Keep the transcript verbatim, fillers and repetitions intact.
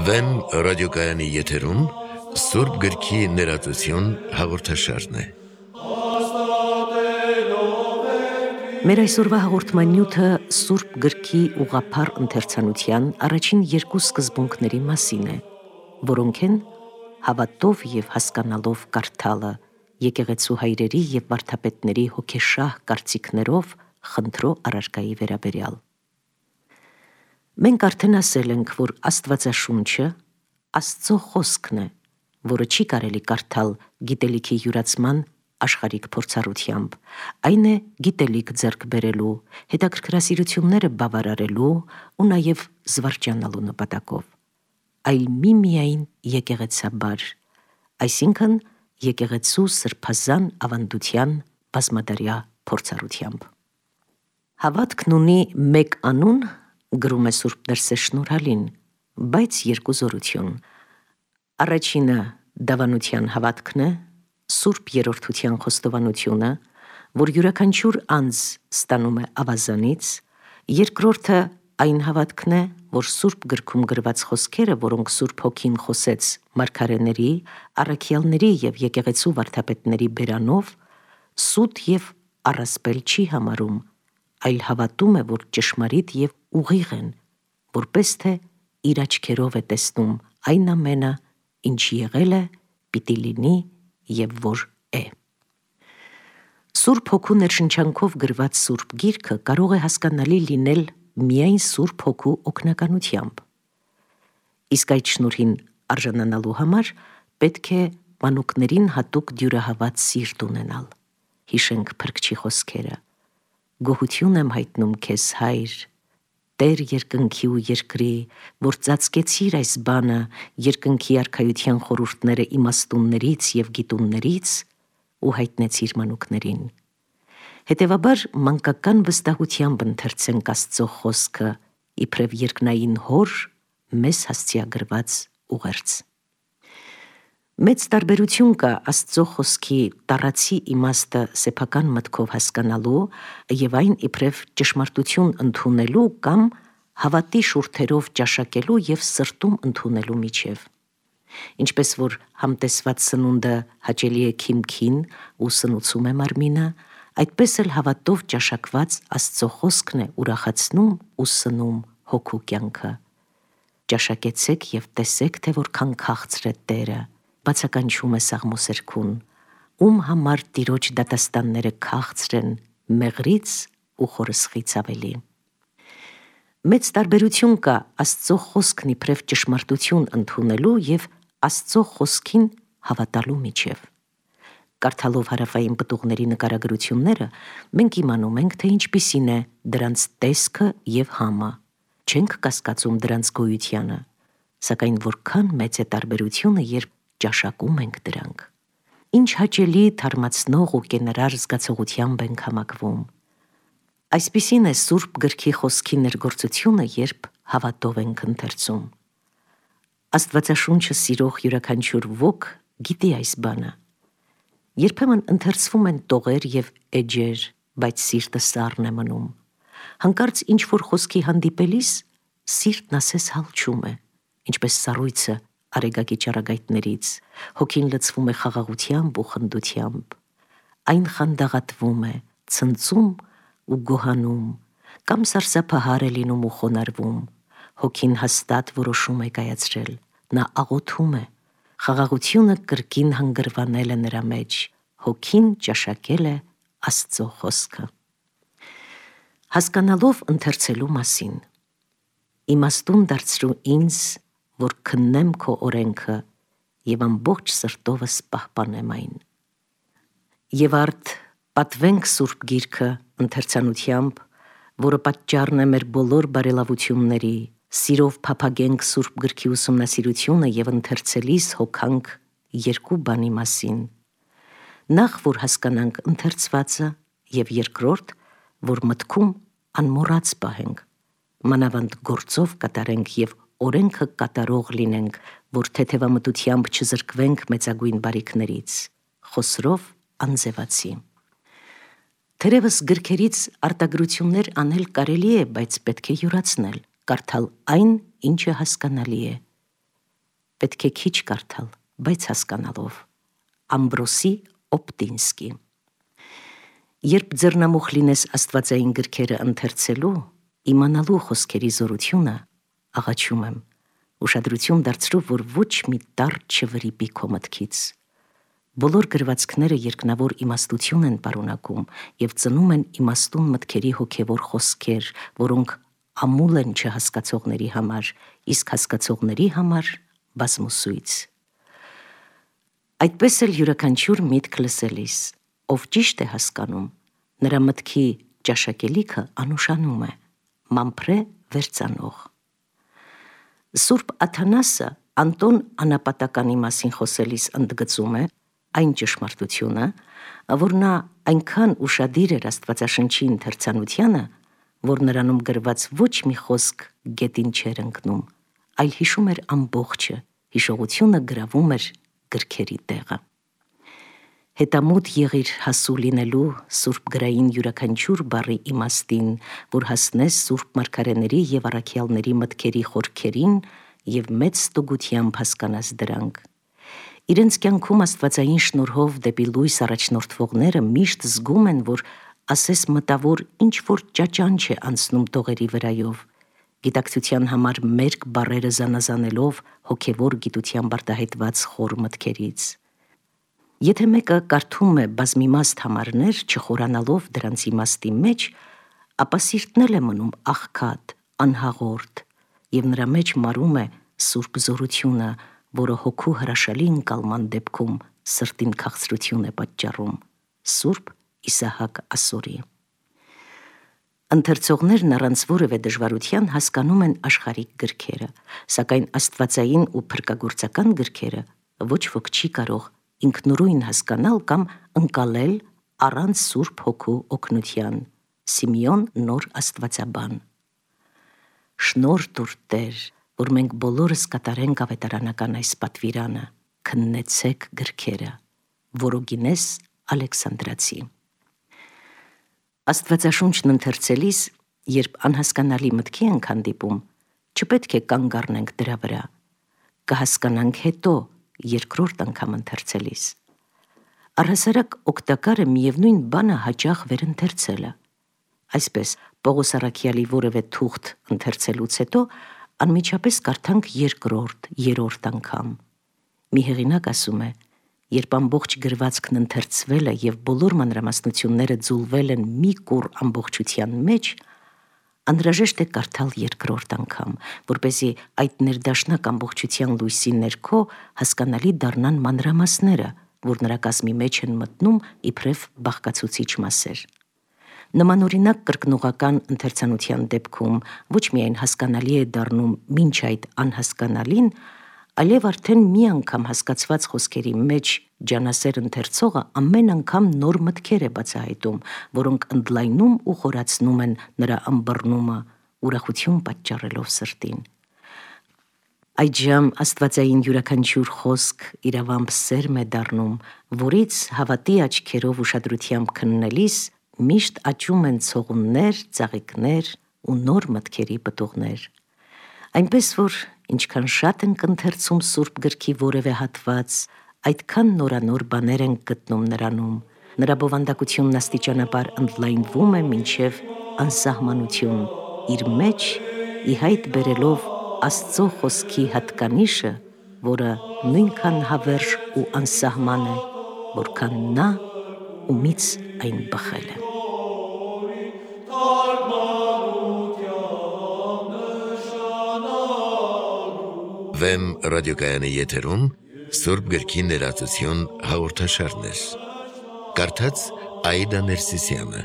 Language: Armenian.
Վեմ ռադիոկայանի եթերում Սուրբ գրքի ներածություն հաղորդաշարն է։ Մեր այսօրվա հաղորդման նյութը Սուրբ գրքի ուղղափառ ընթերցանության առաջին երկու սկզբունքների մասին է, որոնք են հավատով և հասկանալով կարդալը, եկեղեցու հայրերի և վարդապետների հոգեշահ կարծիքներով խնդրո առարկայի վերաբերյալ։ Մենք արդեն ասել ենք, որ Աստվածաշունչը Աստծո խոսքն է, որը չի կարելի կարդալ գիտելիքի յուրացման աշխարհիկ փորձառությամբ, այն է գիտելիք ձեռք բերելու, հետաքրքրասիրությունները բավարարելու ու նաև զվարճանալու նպատակով, այլ միմիայն եկեղեցաբար, այսինքն եկեղեցու սրբազան ավանդության բազմադարյա փորձառությամբ։ Հավատքն ունի մեկ անուն, գրում է Սուրբ Դրսեշնորհալին, բայց երկու զորություն։ Առաջինը դավանության հավատքն է, Սուրբ Երրորդության խոստովանությունը, որ յուրաքանչյուր անձ ստանում է ավազանից, երկրորդը այն հավատքն է, որ Սուրբ գրքում գրված խոսքերը, որոնք Սուրբ Հոգին խոսեց մարգարեների, առաքյալների և եկեղեցու վարդապետների բերանով, սուտ և առասպել չի համարում, այլ հավատում է, որ ճշմարիտ և ուղիղ են, որպես թե իր աչքերով է տեսնում այն ամենը, ինչ եղել է, պիտի լինի և որ է։ Սուրբ Հոգու ներշնչանքով գրված Սուրբ Գիրքը կարող է հասկանալի լինել միայն Սուրբ Հոգու օգնականությամբ։ Իսկ այդ շնորհին արժանանալու համար պետք է մանուկներին հատուկ դյուրահաված սիրտ ունենալ։ Հիշենք Փրկչի խոսքերը. «Գոհություն եմ հայտնում քեզ, Հայր, Տեր երկնքի ու երկրի, որ ծածկեցիր այս բանը, երկնքի արքայության խորհուրդները իմաստուններից և գիտուններից ու հայտնեցիր մանուկներին»։ Հետևաբար մանկական վստահությամբ ընթերցենք Աստծո խոսքը, իբրև երկնային Հոր մեզ հասցեագրված ուղերձ։ Մեծ տարբերություն կա Աստծո խոսքի տառացի իմաստը սեփական մտքով հասկանալու և այն իբրև ճշմարտություն ընդունելու կամ հավատի շուրթերով ճաշակելու և սրտում ընդունելու միջև։ Ինչպես որ համտեսված սնունդը հաճելի է քիմքին ու սնուցում է մարմինը, այդպես էլ հավատով ճաշակված Աստծո խոսքն է ուրախացնում ու սնում հոգու կյանքը։ «Ճաշակեցեք և տեսեք, թե որքան քաղցր է Տերը», բացականչում է Սաղմոսերգուն, ում համար Տիրոջ դատաստանները քաղցր են, մեղրից ու խորսխից ավելի։ Մեծ տարբերություն կա Աստծո խոսքն իբրև ճշմարտություն ընդունելու և Աստծո խոսքին հավատալու միջև։ Կարդալով հարավային պտուղների նկարագրությունները, մենք իմանում ենք, թե ինչպիսին է դրանց տեսքը և համը, չենք կասկածում դրանց գոյությանը, սակայն որքան մեծ է տարբերությունը, երբ ճաշակում ենք դրանք։ Ինչ հաճելի, թարմացնող ու կենարար զգացողությամբ ենք համակվում։ Այսպիսին է Սուրբ գրքի խոսքի ներգործությունը, երբ հավատով ենք ընթերցում։ Աստվածաշունչը սիրող յուրաքանչյուր ոք գիտի այս բանը։ Երբեմն ընթերցվում են տողեր և էջեր, բայց սիրտը սառն է մնում։ Հանկարծ ինչ-որ խոսքի հանդիպելիս սիրտն ասես հալչում է, ինչպես սառույցը արեգակի ճառագայթներից, հոգին լցվում է խաղաղությամբ ու խնդությամբ, այն խանդաղատվում է, ցնծում ու գոհանում, կամ սարսափահար է լինում ու խոնարհվում, հոգին հաստատ որոշում է կայացրել, նա աղոթում է, խաղաղությունը կրկին հանգրվանել է նրա մեջ, հոգին ճաշակել է Աստծո խոսքը։ Հասկանալով ընթերցելու մասին։ Իմաստուն դարձրու ինձ, որ քննեմ քո օրենքը և ամբողջ սրտովս պահպանեմ այն։ Եվ արդ պատվենք Սուրբ Գիրքը ընթերցանությամբ, որը պատճառն է մեր բոլոր բարելավությունների, սիրով փափագենք Սուրբ գրքի ուսումնասիրությունը և ընթերցելիս հոգանք երկու բանի մասին. նախ, որ հասկանանք ընթերցվածը, և երկրորդ, որ մտքում անմոռաց պահենք, մանավանդ գործով կատարենք և օրենքը կատարող լինենք, որ թեթևամտությամբ չզրկվենք մեծագույն բարիքներից։ Խոսրով Անձևացի։ Թերևս գրքերից արտագրություններ անել կարելի է, բայց պետք է յուրացնել, կարդալ այն, ինչը հասկանալի է։ Պետք է քիչ կարդալ, բայց հասկանալով։ Ամբրոսի Օպտինսկի։ Երբ ձեռնամուխ լինես աստվածային գրքերը ընթերցելու, իմանալու խոսքերի զորությունը, աղաչում եմ, ուշադրություն դարձրու, որ ոչ մի տառ չվրիպի քո մտքից։ Բոլոր գրվածքները երկնավոր իմաստություն են պարունակում և ծնում են իմաստուն մտքերի հոգևոր խոսքեր, որոնք ամուլ են չհասկացողների համար, իսկ հասկացողների համար բազմուսույց։ Այդպես էլ յուրաքանչյուր միտք լսելիս, ով ճիշտ է հասկանում, նրա մտքի ճաշակելիքը անուշանում է, մամփրե վերծանող։ Սուրբ Աթանասը Անտոն անապատականի մասին խոսելիս ընդգծում է այն ճշմարտությունը, որ նա այնքան ուշադիր էր Աստվածաշնչի ընթերցանությանը, որ նրանում գրված ոչ մի խոսք գետին չէր ընկնում, այլ հիշում էր ամբողջը, հիշողությունը գրավում էր գրքերի տեղը։ Հետամուտ եղիր հասու լինելու սուրբ գրային յուրաքանչյուր բառի իմաստին, որ հասնես սուրբ մարգարեների և առաքյալների մտքերի խորքերին և մեծ ստուգությամբ հասկանաս դրանք։ Իրենց կյանքում աստվածային շնորհով դեպի լույս առաջնորդվողները միշտ զգում են, որ ասես մտավոր ինչ-որ ճաճանչ է անցնում տողերի վրայով, գիտակցության համար մերկ բառերը զանազանելով հոգևոր գիտությամբ արտահայտված խոր մտքերից։ Եթե մեկը կարդում է բազմիմաստ համարներ, չխորանալով դրանց իմաստի մեջ, ապա սիրտն էլ է մնում աղքատ, անհաղորդ, և նրա մեջ մարում է սուրբ զորությունը, որը հոգու հրաշալի ընկալման դեպքում սրտին քաղցրություն է պատճառում, Սուրբ Իսահակ Ասորի։ Ընթերցողներն առանց որևէ դժվարության հասկանում են աշխարհիկ գրքերը, սակայն աստվածային ու փրկագործական գրքերը ոչ ոք չի կարող ինքնուրույն հասկանալ կամ ընկալել առանց Սուրբ Հոգու օգնության։ Սիմեոն Նոր Աստվածաբան։ Շնորհ տուր Տեր, որ մենք բոլորս կատարենք ավետարանական այս պատվիրանը, քննեցեք գրքերը։ Որոգինես Ալեքսանդրացի։ Աստվածաշունչն ընթերցելիս, երբ անհասկանալի մտքի ենք հանդիպում, չպետք է կանգ առնենք դրա վրա, կհասկանանք հետո, երկրորդ անգամ ընթերցելիս։ Առհասարակ օգտակար է միևնույն բանը հաճախ վերընթերցելը։ Այսպես, Պողոս առաքյալի որևէ թուղթ ընթերցելուց հետո անմիջապես կարդանք երկրորդ, երրորդ անգամ։ Մի հեղինակ ասում է, երբ ամբողջ գրվածքն ընթերցվել է և բոլոր մանրամասնությունները ձուլվել են մի կուռ ամբողջության մեջ, անհրաժեշտ է կարդալ երկրորդ անգամ, որպեսզի այդ ներդաշնակ ամբողջության լույսի ներքո հասկանալի դառնան մանրամասները, որ նրա կազմի մեջ են մտնում իբրև բաղկացուցիչ մասեր։ Նմանօրինակ կրկնողական ընթերցանության դեպքում ոչ միայն հասկանալի է դառնում մինչ այդ անհասկանալին, այլև արդեն մի անգամ հասկացված խոսքերի մեջ ջանասեր ընթերցողը ամեն անգամ նոր մտքեր է բացահայտում, որոնք ընդլայնում ու խորացնում են նրա ըմբռնումը, ուրախություն պատճառելով սրտին։ Այդժամ աստվածային յուրաքանչյուր խոսք իրավամբ սերմ է դառնում, որից հավատի աչքերով ուշադրությամբ քննելիս միշտ աճում են ցողուններ, ծաղիկներ ու նոր մտքերի պտուղներ։ Այնպես որ ինչքան շատ ենք ընթերցում Սուրբ գրքի որևէ հատված, այդքան նորանոր բաներ ենք գտնում նրանում, նրա բովանդակությունն աստիճանաբար ընդլայնվում է մինչև անսահմանություն, իր մեջ ի հայտ բերելով Աստծո խոսքի հատկանիշը, որը նույնքան հավերժ ու անսահման է, որքան նա, ումից այն բխել է։ Վեմ ռադիոկայանի եթերում Սուրբ գրքի ներածություն հաղորդաշարներ։ Կարդաց Աիդա Ներսիսյանը։